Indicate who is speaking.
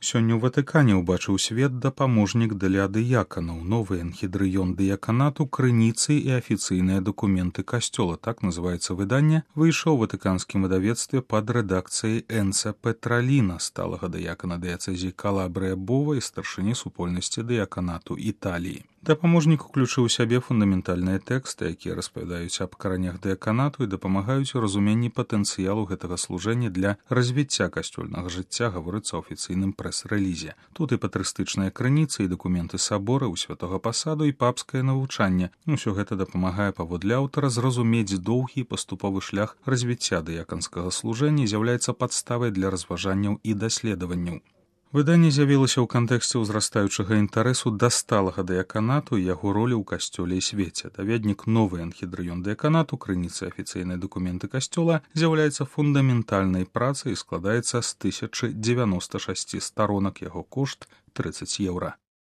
Speaker 1: Сёння ў Ватыкане ўбачыў свет дапаможнік для дыяканаў, новы энхідрыён дыяканату, крыніцы і афіцыйныя дакументы касцёла, так называецца выданне, выйшаў у ватыканскім выдавецтве пад рэдакцыяй Энца Петраліна, сталага дыякана дыяцэзіі Калабрыя Бова і старшыні супольнасці дыяканату Італіі. Дапаможнік уключыў у сябе фундаментальныя тэксты, якія распавядаюць аб каранях дыяканату і дапамагаюць у разуменні патэнцыялу гэтага служэння для развіцця касцёльнага жыцця, гаворыцца ў афіцыйным прэс-рэлізе. Тут і патрыстычныя крыніцы, і дакументы сабора, у святога пасаду, і папскае навучанне. Усё гэта дапамагае паводле аўтара зразумець доўгі і паступовы шлях развіцця дыяканскага служэння і з'яўляецца падставай для разважанняў і даследаванняў. Выданне з'явілася ў кантэксце ўзрастаючага інтарэсу да сталага дыяканату і яго ролі ў касцёле і свеце. Даведнік новы энхідрыён дыяканату, крыніцы афіцыйныя дакументы касцёла, з'яўляецца фундаментальнай працай і складаецца з 1096 старонак, яго кошт 30 еўра.